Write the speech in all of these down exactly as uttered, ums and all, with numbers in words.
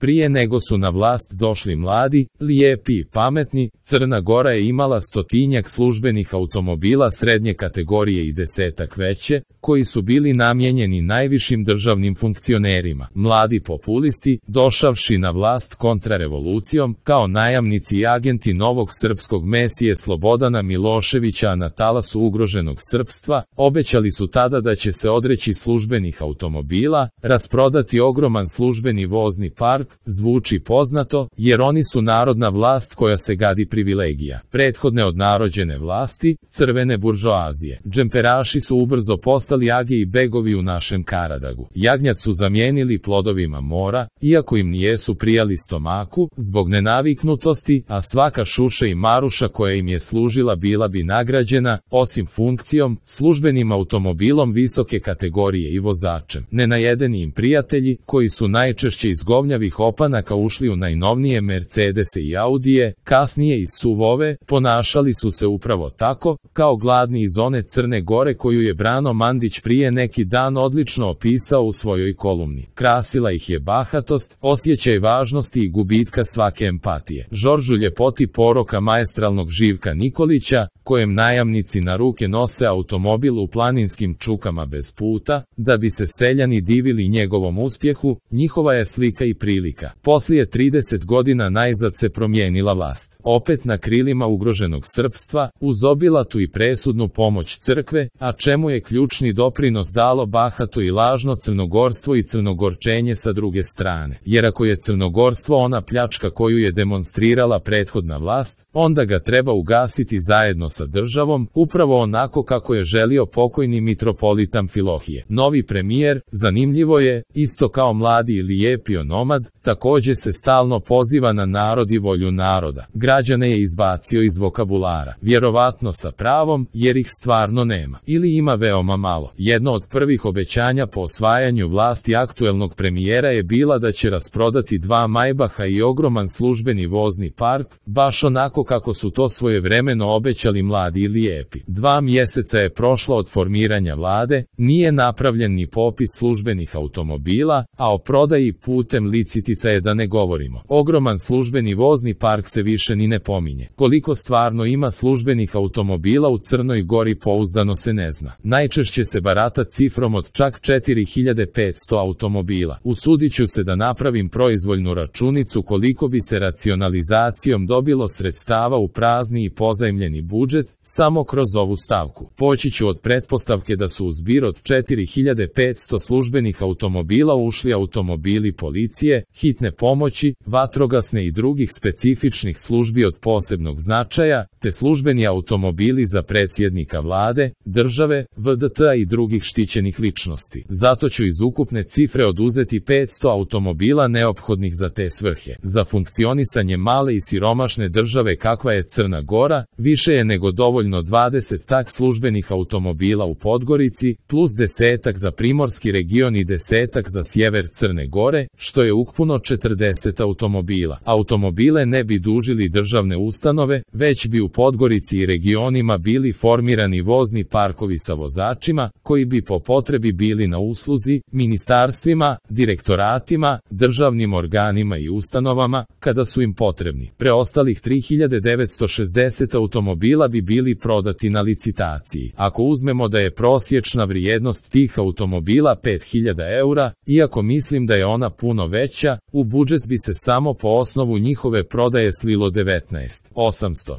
Prije nego su na vlast došli mladi, lijepi i pametni, Crna Gora je imala stotinjak službenih automobila srednje kategorije i desetak veće, koji su bili namijenjeni najvišim državnim funkcionerima. Mladi populisti, došavši na vlast kontrarevolucijom, kao najamnici i agenti novog srpskog mesije Slobodana Miloševića na talasu ugroženog srpstva, obećali su tada da će se odreći službenih automobila, rasprodati ogroman službeni vozni park. Zvuči poznato, jer oni su narodna vlast koja se gadi privilegija. Prethodne odnarođene vlasti, crvene buržoazije. Džemperaši su ubrzo postali age i begovi u našem Karadagu. Jagnjad su zamijenili plodovima mora, iako im nijesu prijali stomaku, zbog nenaviknutosti, a svaka šuša i maruša koja im je služila bila bi nagrađena, osim funkcijom, službenim automobilom visoke kategorije i vozačem. Nenajedeni im prijatelji, koji su najčešće iz govnjavih opanaka ušli u najnovnije Mercedese i Audije, kasnije i suvove, ponašali su se upravo tako, kao gladni iz one Crne Gore koju je Brano Mandić prije neki dan odlično opisao u svojoj kolumni. Krasila ih je bahatost, osjećaj važnosti i gubitka svake empatije. Žoržu ljepoti poroka maestralnog Živka Nikolića, kojem najamnici na ruke nose automobil u planinskim čukama bez puta, da bi se seljani divili njegovom uspjehu, njihova je slika i prilika. Poslije trideset godina najzad se promijenila vlast. Opet na krilima ugroženog srpstva, uz obilatu i presudnu pomoć crkve, a čemu je ključni doprinos dalo bahato i lažno crnogorstvo i crnogorčenje sa druge strane. Jer ako je crnogorstvo ona pljačka koju je demonstrirala prethodna vlast, onda ga treba ugasiti zajedno sa državom, upravo onako kako je želio pokojni mitropolit Amfilohije. Novi premijer, zanimljivo je, isto kao mladi i lijepi onomad, također se stalno poziva na narod i volju naroda. Građane je izbacio iz vokabulara, vjerovatno sa pravom, jer ih stvarno nema. Ili ima veoma malo. Jedno od prvih obećanja po osvajanju vlasti aktuelnog premijera je bila da će rasprodati dva Majbaha i ogroman službeni vozni park, baš onako kako su to svojevremeno obećali mladi i lijepi. Dva mjeseca je prošlo od formiranja vlade, nije napravljen ni popis službenih automobila, a o prodaji putem licitica je da ne govorimo. Ogroman službeni vozni park se više ni ne pominje. Koliko stvarno ima službenih automobila u Crnoj Gori pouzdano se ne zna. Najčešće se barata cifrom od čak četiri hiljade petsto automobila. Usudit ću se da napravim proizvoljnu računicu koliko bi se racionalizacijom dobilo sredstava u prazni i pozajmljeni budžet, samo kroz ovu stavku. Poći ću od pretpostavke da su u zbir od četiri hiljade petsto službenih automobila ušli automobili policije, hitne pomoći, vatrogasne i drugih specifičnih službi od posebnog značaja, te službeni automobili za predsjednika vlade, države, V D T-a i drugih štićenih ličnosti. Zato ću iz ukupne cifre oduzeti petsto automobila neophodnih za te svrhe. Za funkcionisanje male i siromašne države kakva je Crna Gora, više je nego dovoljno dvadeset tak službenih automobila u Podgorici, plus desetak za primorski region i desetak za sjever Crne Gore, što je ukupno četrdeset automobila. Automobile ne bi dužili državne ustanove, već bi u Podgorici i regionima bili formirani vozni parkovi sa vozačima, koji bi po potrebi bili na usluzi ministarstvima, direktoratima, državnim organima i ustanovama, kada su im potrebni. Preostalih tri hiljade devetsto šezdeset automobila bi bili prodati na licitaciji. Ako uzmemo da je prosječna vrijednost tih automobila pet hiljada eura, iako mislim da je ona puno veća, u budžet bi se samo po osnovu njihove prodaje slilo devetnaest hiljada osamsto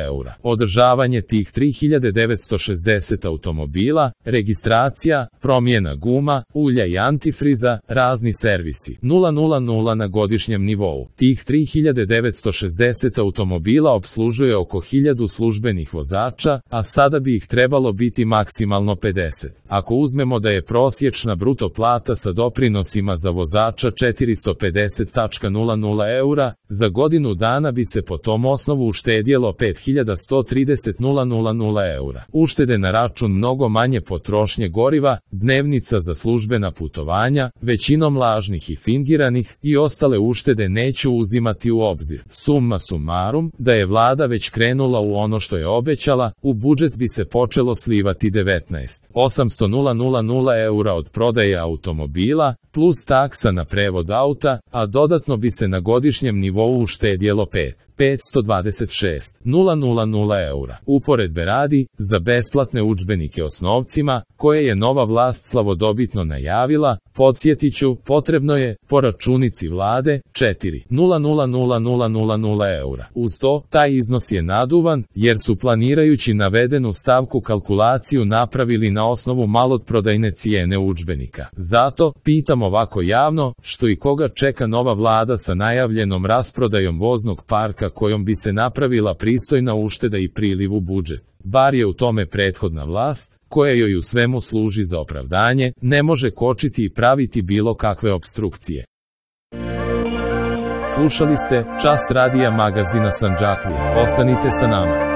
eura. Održavanje tih tri hiljade devetsto šezdeset automobila, registracija, promjena guma, ulja i antifriza, razni servisi. nula na godišnjem nivou. Tih tri hiljade devetsto šezdeset automobila obslužuje oko hiljadu službenih vozača, a sada bi ih trebalo biti maksimalno pedeset. Ako uzmemo da je prosječna bruto plata sa doprinosima za vozača četiristo pedeset zarez eura, za godinu dana bi se po tom osnovu uštedjelo pet hiljada sto trideset zarez eura. Uštede na račun mnogo manje potrošnje goriva, dnevnica za službena putovanja, većinom lažnih i fingiranih, i ostale uštede neću uzimati u obzir. Summa summarum, da je vlada već krenula u u ono što je obećala, u budžet bi se počelo slivati devetnaest hiljada osamsto eura od prodaje automobila, plus taksa na prevod auta, a dodatno bi se na godišnjem nivou uštedjelo pet hiljada petsto dvadeset šest zarez eura. Uporedbe radi, za besplatne udžbenike osnovcima, koje je nova vlast slavodobitno najavila, podsjetiću, potrebno je, po računici vlade, četiri hiljade eura. Uz to, taj iznos je naduvan, jer su planirajući navedenu stavku kalkulaciju napravili na osnovu maloprodajne cijene udžbenika. Zato, pitam ovako javno, što i koga čeka nova vlada sa najavljenom rasprodajom voznog parka kojom bi se napravila pristojna ušteda i priliv u budžet. Bar je u tome prethodna vlast, koja joj u svemu služi za opravdanje, ne može kočiti i praviti bilo kakve opstrukcije. Slušali ste Čas radija magazina Sandžaklija. Ostanite sa nama.